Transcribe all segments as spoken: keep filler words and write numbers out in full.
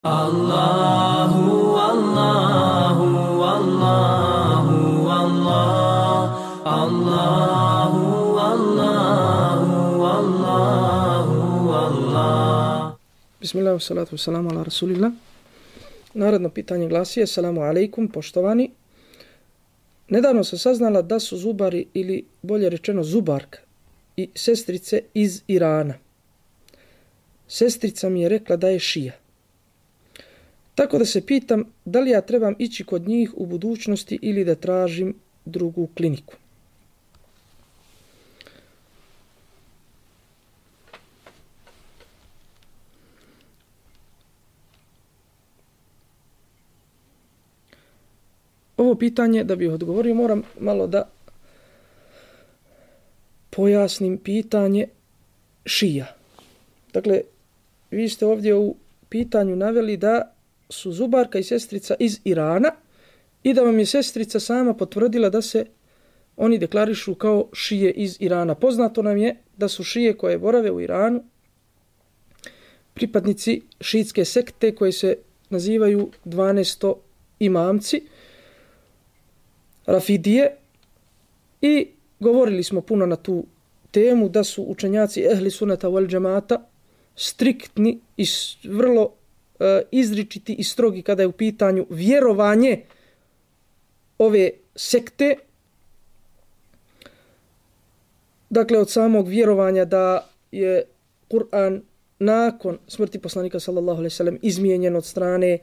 Allahu, Allahu, Allahu, Allah, Allahu, Allahu, Allahu, Allah. Bismillah, salatu wassalamu ala rasulillah. Narodno pitanje glasi: Assalamu alaikum, poštovani. Nedavno sam saznala da su zubari, ili bolje rečeno zubarka, i sestrice iz Irana. Sestrica mi je rekla da je šija. Tako da se pitam da li ja trebam ići kod njih u budućnosti ili da tražim drugu kliniku. Ovo pitanje, da bih odgovorio, moram malo da pojasnim pitanje šija. Dakle, vi ste ovdje u pitanju naveli da su zubarka i sestrica iz Irana i da vam je sestrica sama potvrdila da se oni deklarišu kao šije iz Irana. Poznato nam je da su šije koje borave u Iranu pripadnici šiitske sekte koje se nazivaju dvanaesto imamci, Rafidije, i govorili smo puno na tu temu da su učenjaci ehli sunata wal džemata striktni i vrlo uh, izričiti i strogi kada je u pitanju vjerovanje ove sekte. Dakle, od samog vjerovanja da je Kur'an nakon smrti poslanika sallallahu alejhi ve sellem izmijenjen od strane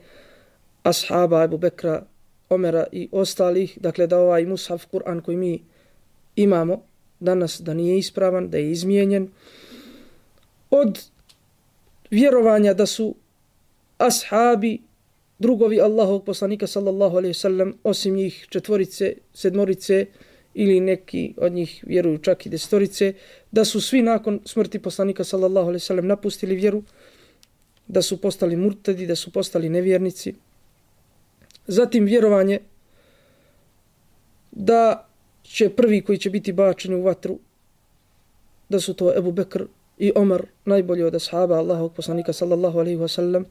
ashaba Ebu Bekra, Omera i ostalih, dakle da ovaj mushaf Kur'an koji mi imamo danas da nije ispravan, da je izmijenjen. Od vjerovanja da su ashabi, drugovi Allahovog poslanika sallallahu alejhi ve sellem, osim njih četvorice, sedmorice ili neki od njih vjeruju čak i desetorice, da su svi nakon smrti poslanika sallallahu alejhi ve sellem napustili vjeru, da su postali murtadi, da su postali nevjernici. Zatim vjerovanje da će prvi koji će biti bačeni u vatru, da su to Ebu Bekr i Omar, najbolji od ashaba Allahovog poslanika sallallahu alejhi ve sellem.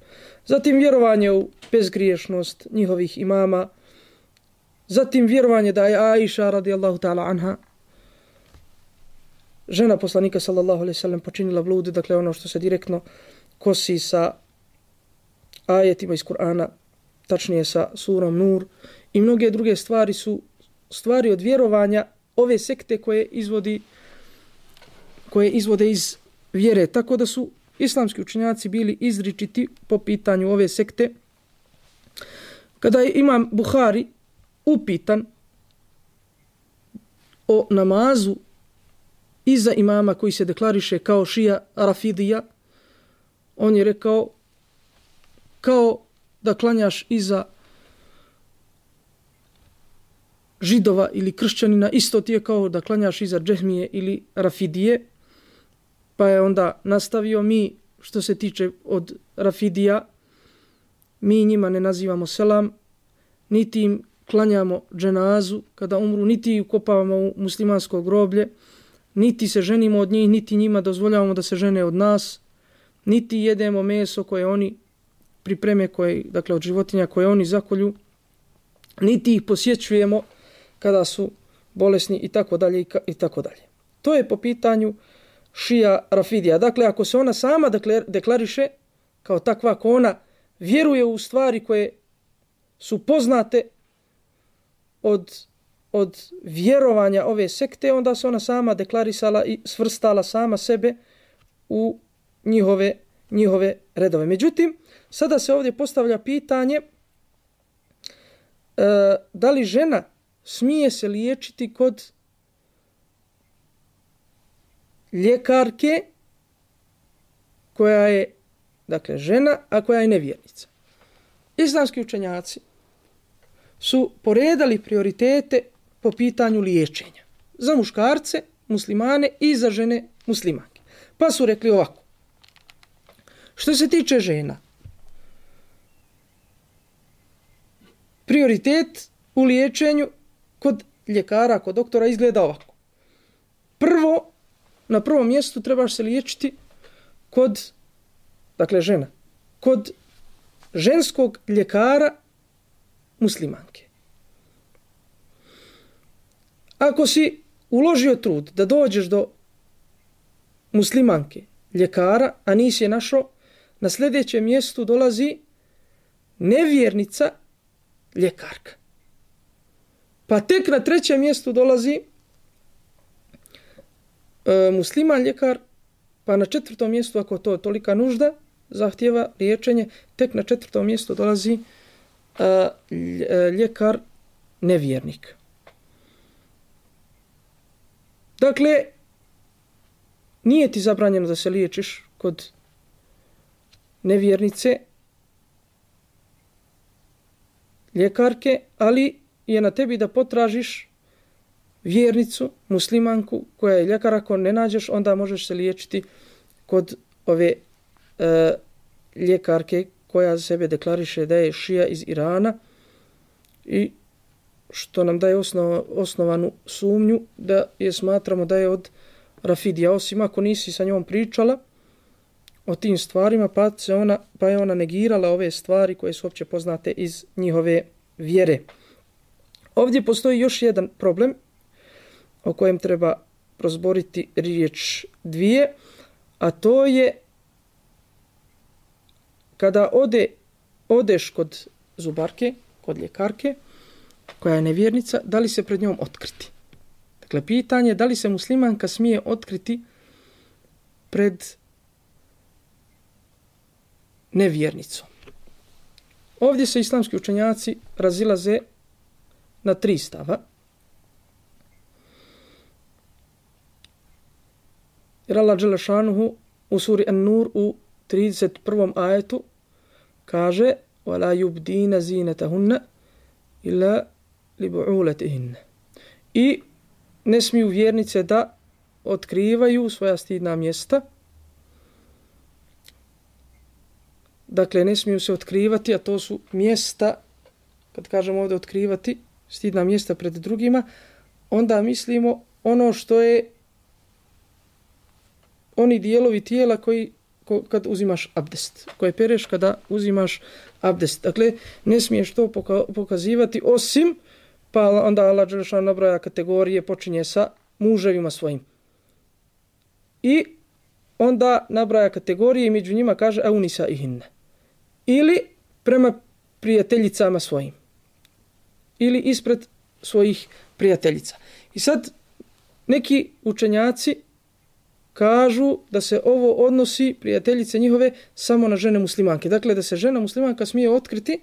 Zatim vjerovanje u bezgriješnost njihovih imama. Zatim vjerovanje da je Aisha radijallahu ta'ala anha, žena poslanika sallallahu alejhi ve sellem, počinila blud, dakle ono što se direktno kosi sa ajetima iz Kur'ana, tačnije sa surom Nur, i mnoge druge stvari su stvari od vjerovanja ove sekte koje izvodi koje izvode iz vjere. Tako da su islamski učenjaci bili izričiti po pitanju ove sekte. Kada je imam Buhari upitan o namazu iza imama koji se deklariše kao šija Rafidija, on je rekao kao da klanjaš iza židova ili kršćanina, isto ti je kao da klanjaš iza džehmije ili Rafidije. Pa je onda nastavio: mi što se tiče od Rafidija, mi njima ne nazivamo selam, niti im klanjamo dženazu kada umru, niti ukopavamo u muslimansko groblje, niti se ženimo od njih, niti njima dozvoljavamo da se žene od nas, niti jedemo meso koje oni pripreme, koje, dakle od životinja koje oni zakolju, niti ih posjećujemo kada su bolesni i tako dalje i tako dalje. To je po pitanju šija Rafidija. Dakle, ako se ona sama deklariše kao takva, ako ona vjeruje u stvari koje su poznate od, od vjerovanja ove sekte, onda se ona sama deklarisala i svrstala sama sebe u njihove, njihove redove. Međutim, sada se ovdje postavlja pitanje e, da li žena smije se liječiti kod ljekarke koja je, dakle, žena, a koja je nevjernica. Islamski učenjaci su poredali prioritete po pitanju liječenja za muškarce, muslimane, i za žene muslimanke. Pa su rekli ovako: što se tiče žena, prioritet u liječenju kod ljekara, kod doktora izgleda ovako. Prvo, na prvom mjestu trebaš se liječiti kod, dakle žena, kod ženskog ljekara muslimanke. Ako si uložio trud da dođeš do muslimanke ljekara, a nisi je našao, na sljedećem mjestu dolazi nevjernica ljekarka. Pa tek na trećem mjestu dolazi e, musliman ljekar, pa na četvrtom mjestu, ako to tolika nužda zahtjeva liječenje, tek na četvrtom mjestu dolazi e, ljekar nevjernik. Dakle, nije ti zabranjeno da se liječiš kod nevjernice ljekarke, ali je na tebi da potražiš vjernicu, muslimanku koja je ljekar. Ako ne nađeš, onda možeš se liječiti kod ove e, ljekarke koja za sebe deklariše da je šija iz Irana i što nam daje osnov, osnovanu sumnju da je smatramo da je od Rafidija, osim ako nisi sa njom pričala o tim stvarima, pa, se ona, pa je ona negirala ove stvari koje su opće poznate iz njihove vjere. Ovdje postoji još jedan problem o kojem treba prozboriti riječ dvije, a to je kada ode, odeš kod zubarke, kod ljekarke, koja je nevjernica, da li se pred njom otkriti? Dakle, pitanje je da li se muslimanka smije otkriti pred nevjernicom. Ovdje se islamski učenjaci razilaze na tri stava. Jer Allah dželle šanuhu u suri An-Nur u trideset prvom ajetu kaže وَلَا يُبْدِينَ زِينَتَهُنَّ إِلَّا لِبُعُولَتِهِنَّ. I ne smiju vjernice da otkrivaju svoja stidna mjesta. Dakle, ne smiju se otkrivati, a to su mjesta, kad kažemo ovdje otkrivati, stidna mjesta pred drugima, onda mislimo ono što je oni dijelovi tijela koji ko, kad uzimaš abdest, koje pereš kada uzimaš abdest. Dakle, ne smiješ to poka, pokazivati osim, pa onda Allah dželle šanuhu nabraja kategorije, počinje sa muževima svojim. I onda nabraja kategorije i među njima kaže aunisa ihinne. Ili prema prijateljicama svojim. Ili ispred svojih prijateljica. I sad neki učenjaci kažu da se ovo odnosi, prijateljice njihove, samo na žene muslimanke. Dakle, da se žena muslimanka smije otkriti,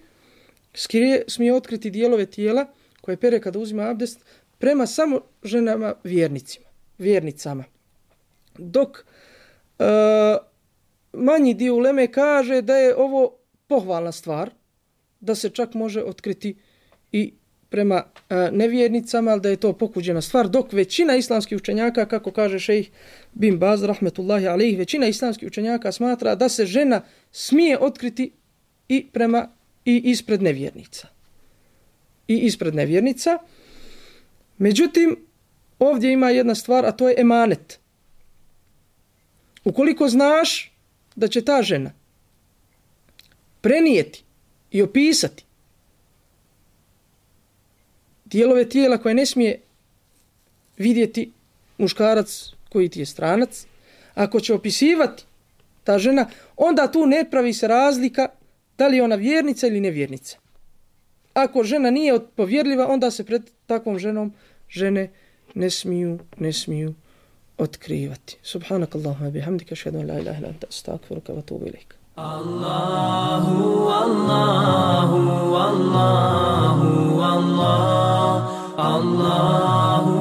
skrije, smije otkriti dijelove tijela koje pere kada uzima abdest prema samo ženama vjernicima, vjernicama. Dok e, manji dio uleme kaže da je ovo pohvalna stvar, da se čak može otkriti i prema e, nevjernicama, ali da je to pokuđena stvar, dok većina islamskih učenjaka, kako kaže šejh bin Baz, rahmetullahi alejhi, većina islamskih učenjaka smatra da se žena smije otkriti i prema i ispred nevjernica. I ispred nevjernica. Međutim, ovdje ima jedna stvar, a to je emanet. Ukoliko znaš da će ta žena prenijeti i opisati dijelove tijela koje ne smije vidjeti muškarac koji ti je stranac, ako će opisivati ta žena, onda tu ne pravi se razlika da li je ona vjernica ili nevjernica. Ako žena nije povjerljiva, onda se pred takvom ženom žene ne smiju, ne smiju otkrivati. Subhanakallahumma bihamdika, ašhadu an la ilaha illa anta, astaghfiruka wa atubu ilaik. Allahu, Allahu, Allahu, Allah, Allahu.